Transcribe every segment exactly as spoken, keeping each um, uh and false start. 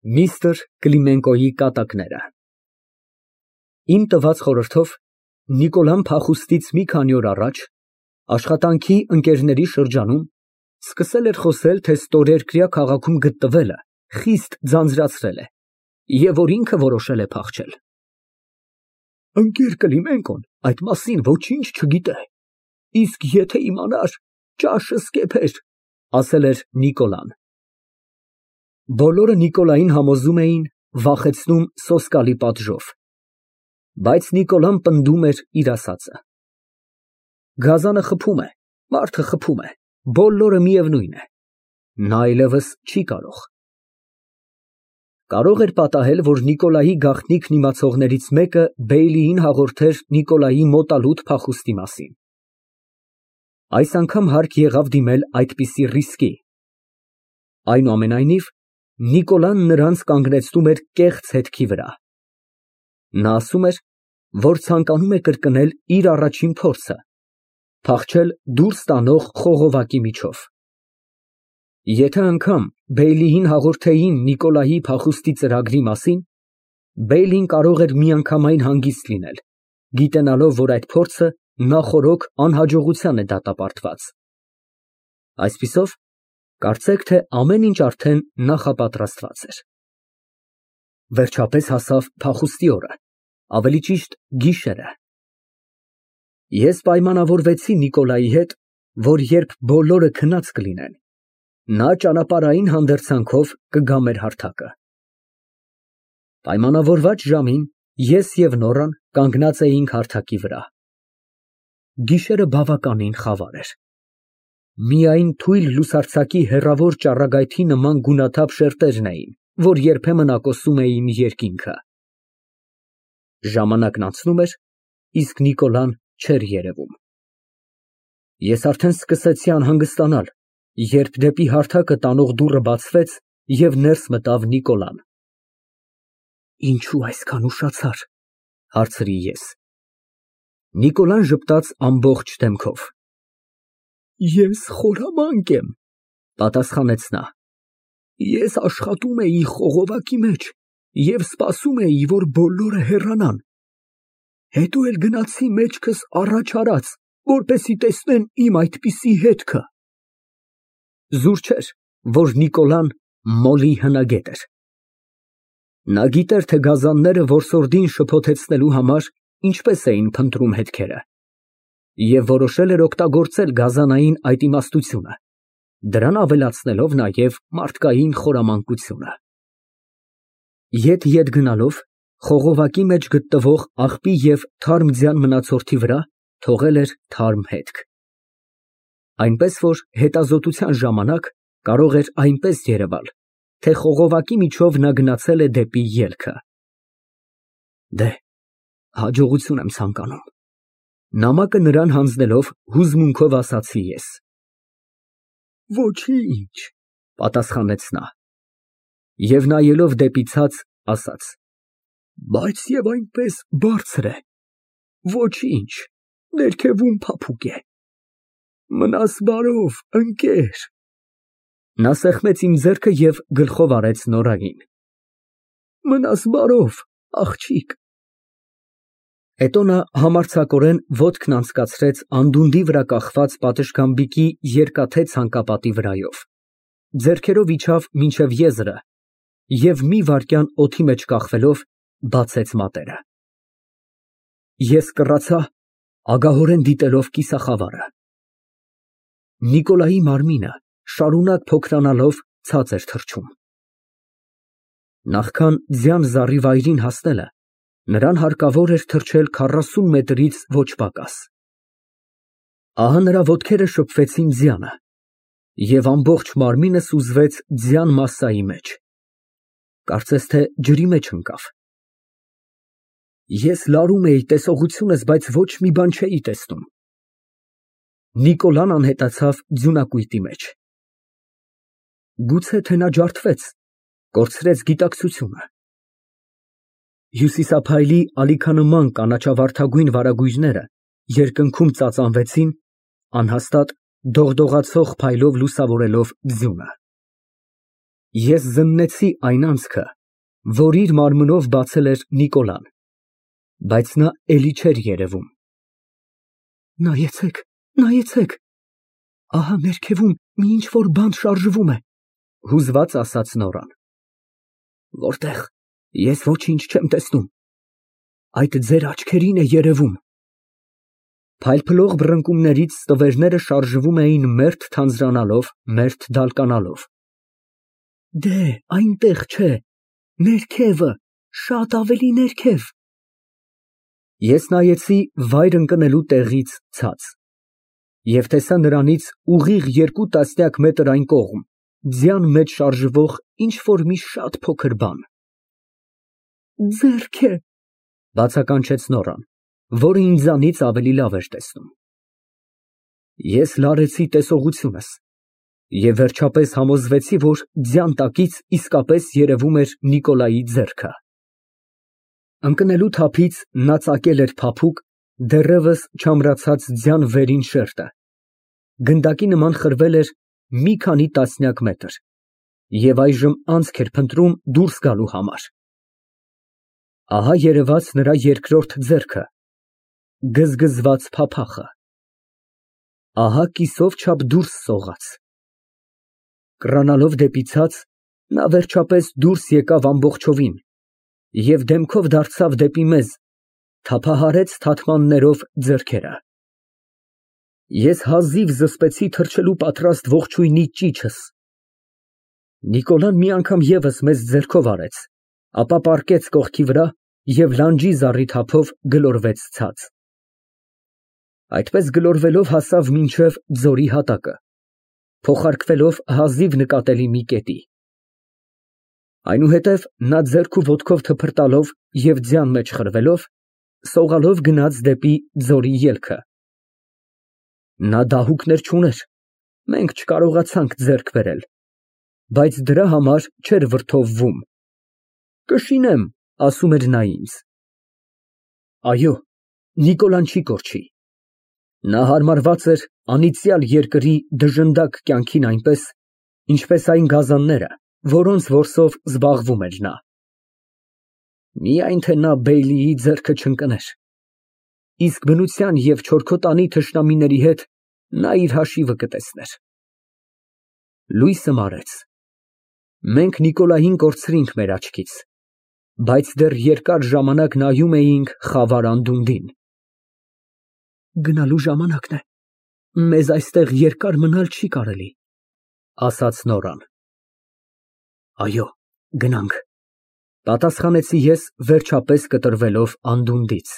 Միստր Կլիմենկոյի կատակները Իմ տված խորհրդով Նիկոլան փախուստից մի քանի օր առաջ, աշխատանքի ընկերների շրջանում, սկսել էր խոսել, թե ստորերկրյա քաղաքում գտնվելը խիստ ձանձրացրել է, և որ ինքը որոշել է փախչել։ Ընկեր Կլիմենկոն այդ մասին ոչինչ չգիտե, իսկ եթե իմանար, ճաշս կեփեր, ասել էր Նիկոլան։ Բոլորը Նիկոլային համոզում էին, վախեցնում սոսկալի պատժով, բայց Նիկոլան պնդում էր իր ասածը։ Գազանը խփում է, մարդը խփում է, բոլորը միևնույն է, նա այլևս չի կարող։ Կարող էր պատահել, որ Նիկոլայի գաղտնիքն իմացողներից մեկը Բեյլիին հաղորդեր Նիկոլայի մոտալուտ փախուստի մասին։ Այս անգամ հարկ եղավ դիմել այդպիսի ռիսկի։ Այնուամենայնիվ, Նիկոլան նրանց կանգնեցնում էր կեղծ հետքի վրա։ Նա ասում էր, որ ցանկանում է կրկնել իր առաջին փորձը, փախչել դուրս տանող խողովակի միջով։ Եթե անգամ Բեյլիին հաղորդեին Նիկոլայի փախուստի ծրագրի մասին, Բեյլին կարող էր միանգամայն հանգիստ լինել, գիտենալով, որ այդ փորձը նախօրոք անհաջողության է դատապարտված։ Այսպիսով, կարծեք, թե ամեն ինչ արդեն նախապատրաստված էր։ Վերջապես հասավ փախուստի օրը, ավելի ճիշտ գիշերը։ Ես պայմանավորվեցի Նիկոլայի հետ, որ երբ բոլորը քնած կլինեն, նա ճանապարհային հանդերձանքով կգա մեր հարթակը։ Պայմանավորված ժամին ես և Նորան կանգնած էինք հարթակի վրա։ Գիշերը բավականին խավար էր։ Միայն թույլ լուսարձակի հեռավոր ճառագայթի նման գունաթափ շերտերն էին, որ երբեմն ակոսում էին երկինքը։ Ժամանակն անցնում էր, իսկ Նիկոլան չէր երևում։ Ես արդեն սկսեցի անհանգստանալ, երբ դեպի հարթակը տանող դուռը բացվեց և ներս մտավ Նիկոլան։ Ինչո՞ւ այսքան ուշացար, հարցրի ես։ Նիկոլան ժպտաց ամբողջ դեմքով։ Ես խորամանկ եմ, պատասխանեց նա։ Ես աշխատում էի խողովակի մեջ և սպասում էի, որ բոլորը հեռանան։ Հետո էլ գնացի մեջքս առաջ արած, որպեսզի տեսնեն իմ այդպիսի հետքը։ Զուր չէր, որ Նիկոլան մոլի հնագետ էր։ Նա գիտեր, թե գազանները որսորդին շփոթեցնելու համար ինչպես էին փնտրում հետքերը, և որոշել էր օգտագործել գազանային այդ իմաստությունը, դրան ավելացնելով նաև մարդկային խորամանկությունը։ Ետ֊ետ գնալով, խողովակի մեջ գտնվող աղբի և թարմ ձյան մնացորդի վրա թողել էր թարմ հետք։ Այնպես որ հետազոտության ժամանակ կարող էր այնպես երևալ, թե խողովակի միջով նա գնացել է դեպի ելքը։ Դե, հաջողություն եմ ցանկանում, նամակը նրան հանձնելով հուզմունքով ասացի ես։ Ոչինչ, պատասխանեց նա, և նայելով դեպի ցած, ասաց. Բայց և այնպես բարձր է, ոչինչ, ներքևում փափուկ է։ Մնաս բարով, ընկեր։ Նա սեղմեց իմ ձեռքը և գլխով արեց Նորային։ Մնաս բարով, աղջիկ։ Հետո նա համարձակորեն ոտքն անցկացրեց անդունդի վրա կախված պատշգամբիկի երկաթե ցանկապատի վրայով, ձեռքերով իջավ մինչև եզրը և մի վայրկյան օդի մեջ կախվելով, բացեց մատները։ Ես կռացա, ագահորեն դիտելով կիսախավարը։ Նիկոլայի մարմինը շարունակ փոքրանալով ցած էր թռչում։ Նախքան ձյան զառիվայրին հասնելը, նրան հարկավոր էր թռչել քառասուն մետրից ոչ պակաս։ Ահա նրա ոտքերը շփվեցին ձյանը, և ամբողջ մարմինը սուզվեց ձյան մասսայի մեջ, կարծես թե ջրի մեջ ընկավ։ Ես լարում էի տեսողությունս, բայց ոչ մի բան չէի տեսնում։ Նիկոլան անհետացավ ձյունակույտի մեջ։ Գուցե թե նա ջարդվեց, կորցրեց գիտակցությունը։ Հյուսիսափայլի ալիքանման կանաչավարդագույն վարագույրները երկնքում ծածանվեցին, անհաստատ դողդողացող փայլով լուսավորելով ձյունը։ Ես զննեցի այն անցքը, որ իր մարմնով բացել էր Նիկոլան, բայց նա էլի չէր երևում։ Նայեցեք, նայեցեք, ահա ներքևում մի ինչ֊որ բան շարժվում է, հուզված ասաց Նորան։ Որտե՞ղ, ես ոչինչ չեմ տեսնում, այդ ձեր աչքերին է երևում։ Փայլփլող բռնկումներից ստվերները շարժվում էին մերթ թանձրանալով, մերթ դալկանալով։ Դե, այնտեղ չէ, ներքևը, շատ ավելի ներքև։ Ես նայեցի վայր ընկնելու տեղից ցած և տեսա նրանից ուղիղ երկու տասնյակ մետր այն կողմ, ձյան մեջ շարժվող ինչ֊որ մի շատ փոքր բան։ Ձեռք է, բացականչեց Նորան, որը ինձանից ավելի լավ էր տեսնում։ Ես լարեցի տեսողությունս և վերջապես համոզվեցի, որ ձյան տակից իսկապես երևում էր Նիկոլայի ձեռքը։ Ընկնելու թափից նա ծակել էր փափուկ, դեռևս չամրացած ձյան վերին շերտը, գնդակի նման խրվել էր մի քանի տասնյակ մետր և այժմ անցք էր փնտրում դուրս գալու համար։ Ահա երևաց նրա երկրորդ ձեռքը, գզգզված փափախը, ահա կիսով չափ դուրս սողաց։ Կռանալով դեպի ցած, նա վերջապես դուրս եկավ ամբողջովին և դեմքով դարձավ դեպի մեզ, թափահարեց թաթմաններով ձեռքերը։ Ես հազիվ զսպեցի թռչելու պատրաստ ողջույնի ճիչս։ Նիկոլան մի անգամ ևս մեզ ձեռքով արեց, ապա պառկեց կողքի վրա և լանջի զառիթափով գլորվեց ցած։ Այդպես գլորվելով հասավ մինչև ձորի հատակը, փոխարկվելով հազիվ նկատելի մի կետի։ Այնուհետև նա ձեռք ու ոտքով թփրտալով և ձյան մեջ խրվելով, սողալով գնաց դեպի ձորի ելքը։ Նա դահուկներ չուներ, մենք չկարողացանք ձեռք բերել, բայց դրա համար չէր վրդովվում։ Կշինեմ, ասում էր նա ինձ։ Այո, Նիկոլան չի կորչի։ Նա հարմարված էր անիծյալ երկրի դժնդակ կյանքին այնպես, ինչպես այն գազանները, որոնց որսով զբաղվում էր նա։ Միայն թե նա Բեյլիի ձեռքը չընկներ, իսկ բնության և չորքոտանի թշնամիների հետ նա իր հաշիվը կտեսներ։ Լույսը մարեց։ Մենք Նիկոլային կորցրինք մեր աչքից, բայց դեռ երկար ժամանակ նայում էինք խավար անդունդին։ Գնալու ժամանակն է, մեզ այստեղ երկար մնալ չի կարելի, ասաց Նորան։ Այո, գնանք, պատասխանեցի ես, վերջապես կտրվելով անդունդից։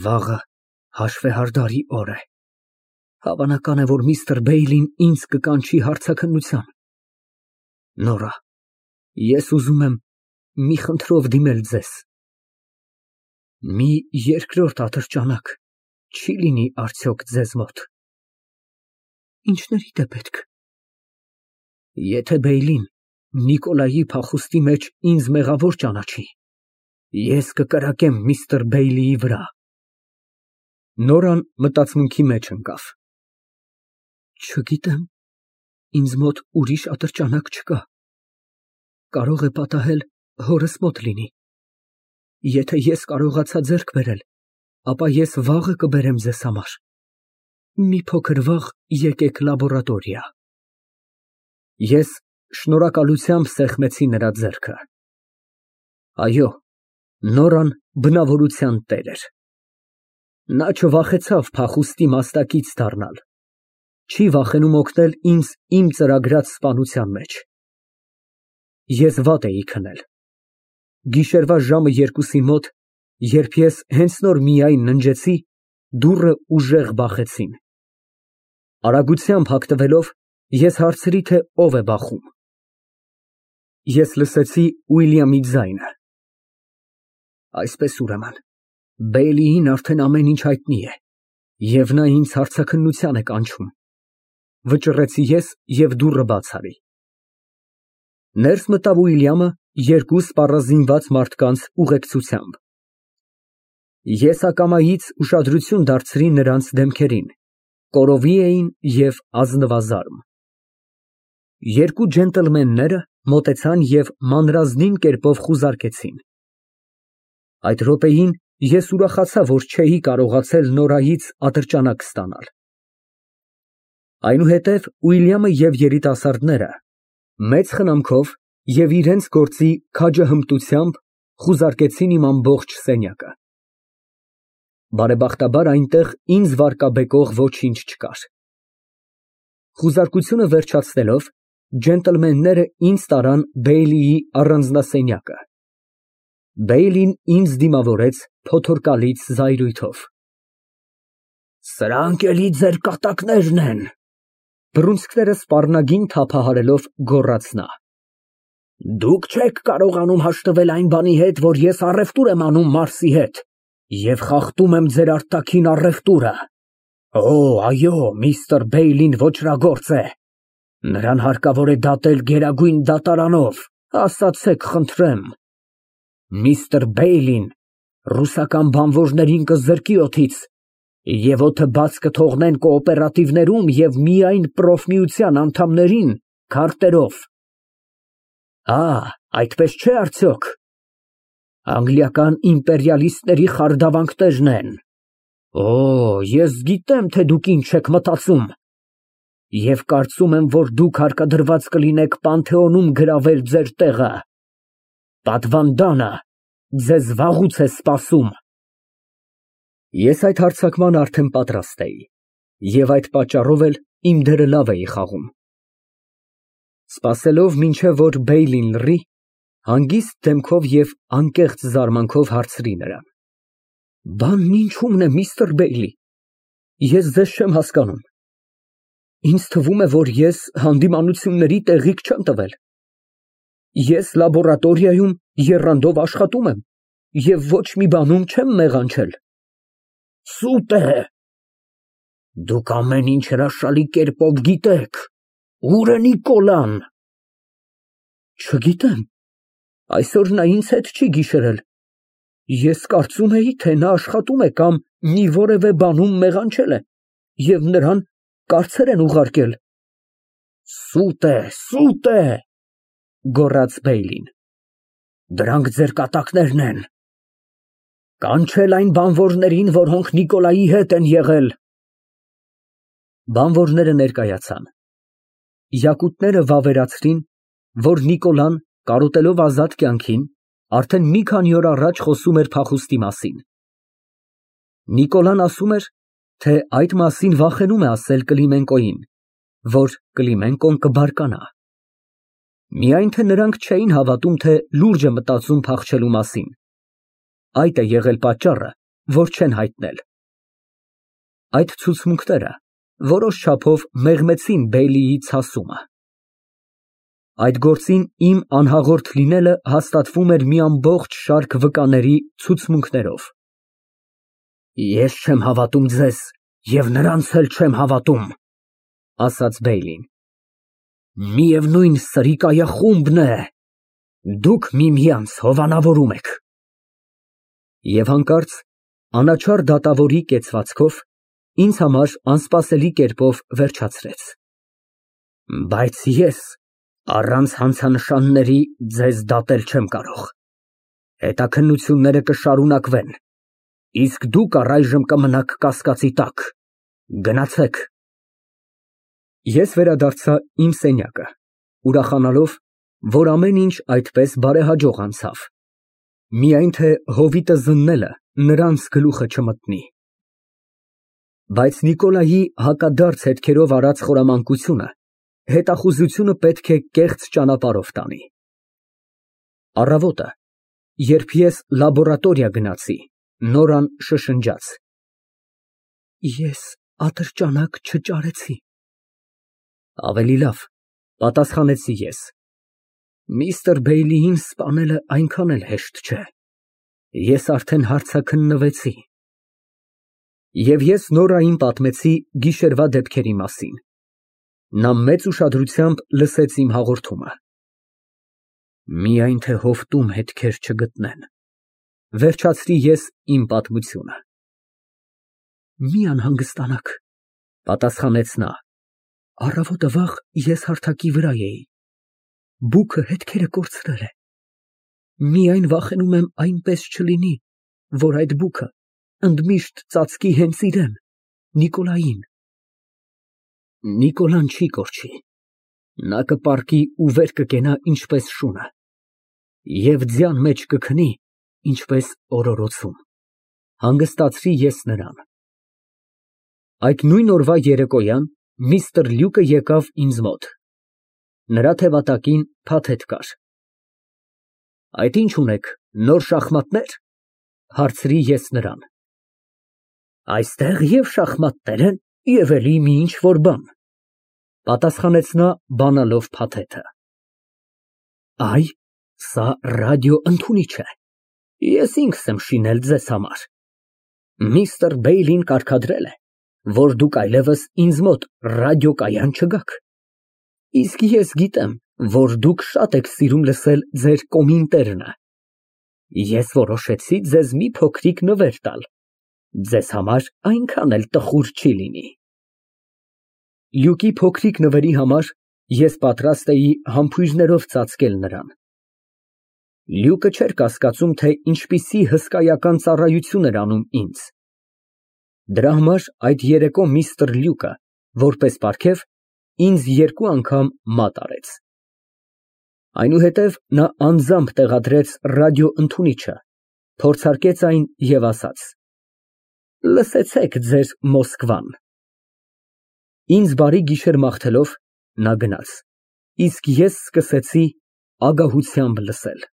Վաղը հաշվեհարդարի օր է։ Հավանական է, որ միստր Բեյլին ինձ կկանչի հարցաքննության։ Նորա, ես ուզում եմ մի խնդրով դիմել ձեզ։ Մի երկրորդ ատրճանակ չի լինի արդյոք ձեզ մոտ։ Ինչներիդ է պետք։ Եթե Բեյլին Նիկոլայի փախուստի մեջ ինձ մեղավոր ճանաչի, ես կկրակեմ միստր Բեյլիի վրա։ Նորան մտածմունքի մեջ ընկավ։ Չգիտեմ, ինձ մոտ ուրիշ ատրճանակ չկա։ Կարող է պատահել հորս մոտ լինի։ Եթե ես կարողացա ձեռք բերել, ապա ես վաղը կբերեմ ձեզ համար։ Մի փոքր վաղ եկեք լաբորատորիա։ Ես շնորհակալությամբ սեղմեցի նրա ձեռքը։ Այո, Նորան բնավորության տեր էր։ Նա չվախեցավ փախուստի մասնակից դառնալ, չի վախենում օգնել ինձ իմ ծրագրած սպանության մեջ։ Ես վատ էի քնել։ Գիշերվա ժամը երկուսի մոտ, երբ ես հենց նոր միայն ննջեցի, դուռը ուժեղ բախեցին։ Արագությամբ հագնվելով, ես հարցրի, թե ով է բախում։ Ես լսեցի Ուիլյամի ձայնը։ Այսպես ուրեմն, Բեյլիին արդեն ամեն ինչ հայտնի է, և նա ինձ հարցաքննության է կանչում, վճռեցի ես և դուռը բաց արի։ Ներս մտավ Ուիլյամը երկու սպառազինված մարդկանց ուղեկցությամբ։ Ես ակամայից ուշադրություն դարձրի նրանց դեմքերին, կորովի էին և ազնվազարդ։ Երկու ջենտլմենները մոտեցան և մանրազնին կերպով խուզարկեցին։ Այդ րոպեին ես ուրախացա, որ չէի կարողացել Նորայից ատրճանակ ստանալ։ Այնուհետև Ուիլյամը և երիտասարդները մեծ խնամքով և իրենց գործի քաջահմտությամբ խուզարկեցին իմ ամբողջ սենյակը։ Բարեբախտաբար, այնտեղ ինձ վարկաբեկող ոչինչ չկար։ Խուզարկությունը վերջացնելով, ջենտլմենները ինձ տարան Բեյլիի առանձնասենյակը։ Բեյլին ինձ դիմավորեց փոթորկալից զայրույթով։ «Սրանք էլի ձեր կատակներն են», բռունցքները սպառնագին թափահարելով գոռաց նա։ «Դուք չեք կարողանում հաշտվել այն բանի հետ, որ ես առևտուր եմ անում Մարսի հետ և խախտում եմ ձեր արտաքին առևտուրը։ Օ, այո, միստր Բեյլին ոճրագործ է, նրան հարկավոր է դատել գերագույն դատարանով, ասացեք, խնդրեմ։ Միստր Բեյլին ռուսական բանվորներին կզրկի օդից և օդը բաց կթողնեն կոոպերատիվներում և միայն պրոֆմիության անդամներին քարտերով։ Ա, այդպես չէ՞ արդյոք։ Անգլիական իմպերիալիստների խարդավանքներն են։ Օ, ես գիտեմ, թե դուք ինչ եք մտածում և կարծում եմ, որ դուք հարկադրված կլինեք Պանթեոնում գրավել ձեր տեղը։ Պատվանդանը ձեզ վաղուց է սպասում։ Ես այդ հարձակման արդեն պատրաստ էի և այդ պատճառով էլ իմ դերը լավ էի խաղում։ Սպասելով, մինչև որ Բեյլին լռի, հանգիստ դեմքով և անկեղծ զարմանքով հարցրի նրան. Բանն ինչո՞ւմն է, միստր Բեյլի, ես ձեզ չեմ հասկանում։ Ինձ թվում է, որ ես հանդիմանությունների տեղիք չեմ տվել։ Ես լաբորատորիայում եռանդով աշխատում եմ և ոչ մի բանում չեմ մեղանչել։ Սուտ է։ Դուք ամեն ինչ հրաշալի կերպով գիտեք։ Ո՞ւր է Նիկոլան։ Չգիտեմ, այսօր նա ինձ հետ չի գիշերել։ Ես կարծում էի, թե նա աշխատում է կամ մի որևէ բանում մեղանչել է և նրան կարծեր են ուղարկել։ Սուտ է, սուտ է, գոռաց Բեյլին։ Դրանք ձեր կատակներն են։ Կանչել այն բանվորներին, որոնք Նիկոլայի հետ են եղել։ Բանվորները ներկայացան։ Յակուտները վավերացրին, որ Նիկոլան, կարոտելով ազատ կյանքին, արդեն մի քանի օր առաջ խոսում էր փախուստի մասին։ Նիկոլան ասում էր, թե այդ մասին վախենում է ասել Կլիմենկոյին, որ Կլիմենկոն կբարկանա։ Միայն թե նրանք չէին հավատում, թե լուրջ է մտածում փախչելու մասին։ Այդ է եղել պատճառը, որ չեն հայտնել։ Այդ ցուցմունքները որոշ չափով մեղմեցին Բեյլիի ցասումը։ Այդ գործին իմ անհաղորդ լինելը հաստատվում էր մի ամբողջ շարք վկաների ցուցմունքներով։ Ես չեմ հավատում ձեզ և նրանց էլ չեմ հավատում, ասաց Բեյլին։ Միևնույն սրիկայախումբն է։ Դուք միմյանց հովանավորում եք։ Եվ հանկարծ անաչառ դատավորի կեցվածքով ինձ համար անսպասելի կերպով վերջացրեց. Բայց ես առանց հանցանշանների ձեզ դատել չեմ կարող։ Հետաքննությունները կշարունակվեն, իսկ դուք առայժմ կմնաք կասկածի տակ։ Գնացեք։ Ես վերադարձա իմ սենյակը, ուրախանալով, որ ամեն ինչ այդպես բարեհաջող անցավ, միայն թե հովիտը զննելը նրանց գլուխը չմտնի։ Բայց Նիկոլայի հակադարձ հետքերով արած խորամանկությունը հետախուզությունը պետք է կեղծ ճանապարհով տանի։ Առավոտը, երբ ես լաբորատորիա գնացի, Նորան շշնջաց. Ես ատրճանակ չճարեցի։ Ավելի լավ, պատասխանեցի ես։ Միստր Բեյլիին սպանելը այնքան էլ հեշտ չէ։ Ես արդեն հարցաքննվեցի։ Եվ ես Նորային պատմեցի գիշերվա դեպքերի մասին։ Նա մեծ ուշադրությամբ լսեց իմ հաղորդումը։ Միայն թե հովտում հետքեր չգտնեն, վերջացրի ես իմ պատմությունը։ Մի անհանգստանաք, պատասխանեց նա։ Առավոտը վաղ ես հարթակի վրա էի, բուքը հետքերը կորցրել է, միայն վախենում եմ այնպես չլինի, որ այդ բուքը ընդմիշտ ծածկի հենց իրեն, Նիկոլային։ Նիկոլան չի կորչի, նա կպառկի ու վեր կկենա ինչպես շունը և ձյան մեջ կքնի, ինչպես օրորոցում, հանգստացրի ես նրան։ Այդ նույն օրվա երեկոյան միստր Լյուկը եկավ ինձ մոտ, նրա թևատակին փաթեթ կար։ Այդ ինչ ունեք, նոր շախմատնե՞ր, հարցրի ես նրան։ Այստեղ և շախմատներ են, և էլի մի ինչ֊որ բան, պատասխանեց նա բանալով փաթեթը։ Այ, սա ռադիոընդունիչ է, ես ինքս եմ շինել ձեզ համար, միստր Բեյլին կարգադրել է, որ դուք այլևս ինձ մոտ ռադիոկայան չգաք, իսկ ես գիտեմ, որ դուք շատ եք սիրում լսել ձեր կոմինտերնը, ես որոշեցի ձեզ մի փոքրիկ նվեր տալ, ձեզ համար այնքան էլ տխուր չի լինի։ Լյուկի փոքրիկ նվերի համար ես պատրաստ էի համբույրներով ծածկել նրան։ Լյուկը չէր կասկածում, թե ինչպիսի հսկայական ծառայություն էր անում ինձ։ Դրա համար այդ երեկո միստր Լյուկը, որպես պարգև, ինձ երկու անգամ մատ արեց։ Այնուհետև նա անձամբ տեղադրեց ռադիոընդունիչը, փորձարկեց այն և ասաց. Լսեցեք ձեր Մոսկվան։ Ինձ բարի գիշեր մաղթելով, նա գնաց, իսկ ես սկսեցի ագահությամբ լսել։